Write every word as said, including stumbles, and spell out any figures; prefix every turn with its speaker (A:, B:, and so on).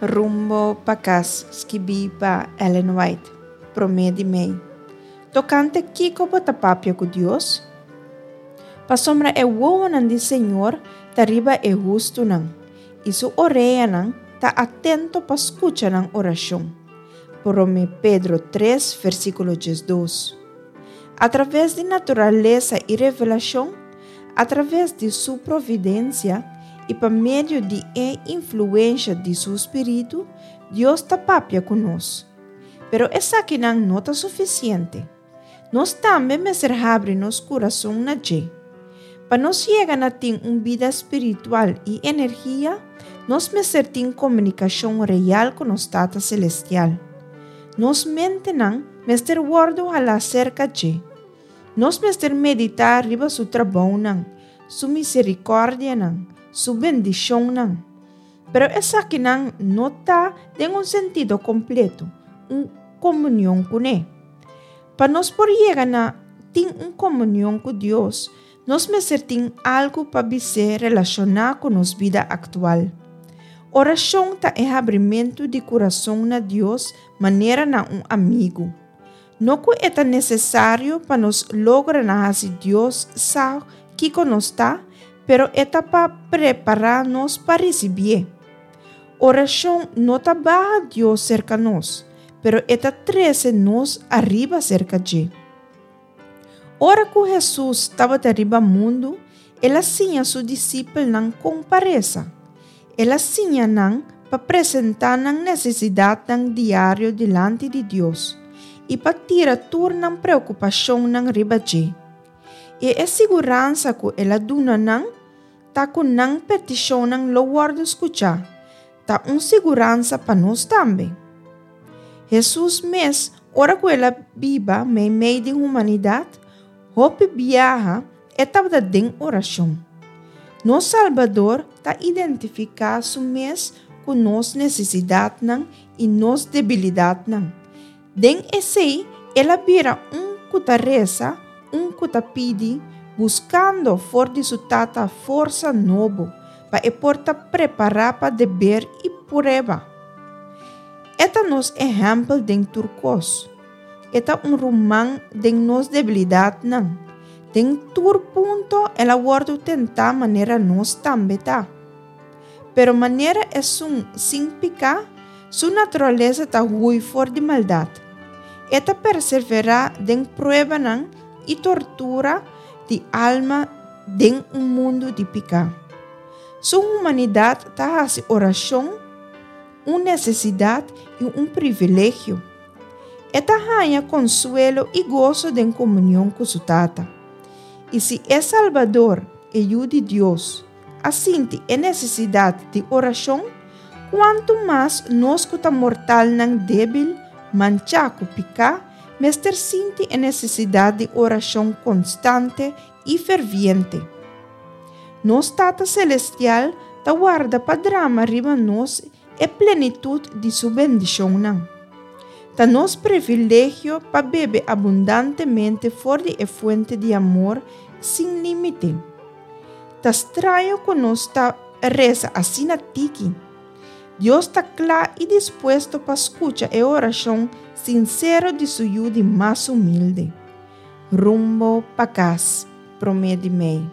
A: Rumbo pa Kas, skibí pa Ellen White, promé di mei. Tokante kiko bo ta papia ku Dios? Pasobra e wowonan di Señor ta riba e hustunan, i su oreanan ta atento pa skucha nan orashon. Promé Pedro tres, versíkulo diesdos. Atraves di naturalesa i revelashon, atraves di su providensia i pa medio di e influensia di su spiritu, Dios ta papia ku nos. Pero esakinan no ta sufisiente. Nos tambe mester habri nos kurason na dje. Pa nos yega na tin un bida spiritual i energia, nos mester tin komunikashon real ku nos Tata Selestial. Nos mentenan mester wòrdu halá serka dje. Nos mester meditá riba su trabounan, su miserikòrdianan, su bendishonnan. Pero esakinan no ta den un sentido kompleto, un komunion kuné. Pa nos por yega na tin un komunion ku Dios, nos mester tin algu pa bis'é relashoná ku nos bida aktual. Orashon ta e habrimentu di kurason na Dios manera na un amigu. No ku e ta nesesario pa nos logra na hasi Dios sa kiko nos ta, pero e ta pa prepará nos pa risibié. Orashon no ta baha Dios serka nos, pero e ta trese nos ariba serka dje. Ora ku Hesus tabata riba mundu, el a siña su disipelnan kon pa resa. El a siña nan pa presentá nan nesesidatnan diario dilanti di Dios i pa tira tur nan preokupashonnan riba dje. I e siguransa ku el a duna nan ta ku nan petishonnan lo wòrdu skuchá, ta un siguransa pa nos tambe. Hesus mes, ora ku el a biba meimei di humanidat, hopi biaha e tabata den orashon. Nos Salbador ta identifiká su mes ku nos nesesidatnan i nos debilidatnan. Den esei, el a bira un ku ta resa, un ku ta pidi, buskando for di su Tata forsa nobo pa e por ta prepará pa deber i prueba. E ta nos ehèmpel den tur kos. E ta un ruman den nos debilidatnan. Den tur punto el a wòrdu tentá manera nos tambe ta. Pero manera esun sin piká, su naturalesa ta hui for di maldat. E ta perseverá den pruebanan i tortura di alma den un mundu di piká. Su humanidat ta hasi orashon un nesesidat i un privilegio. E ta haña konsuelo i goso den komunion ku su Tata. I si e Salbador, e Yu di Dios, a sinti e nesesidat di orashon, kuantu mas nos ku ta mortalnan débil, manchá ku piká, mester sinti e nesesidat di orashon konstante i ferviente. Nos Tata Selestial ta warda pa drama riba nos e plenitut di su bendishonnan. Ta nos privilegio pa bebe abundantemente for di e fuente di amor sin límite. Ta straño ku nos ta resa asina tiki. Dios ta kla i dispuesto pa skucha e orashon sinsero di su yu di mas humilde. Rumbo pa Kas, promé di mei.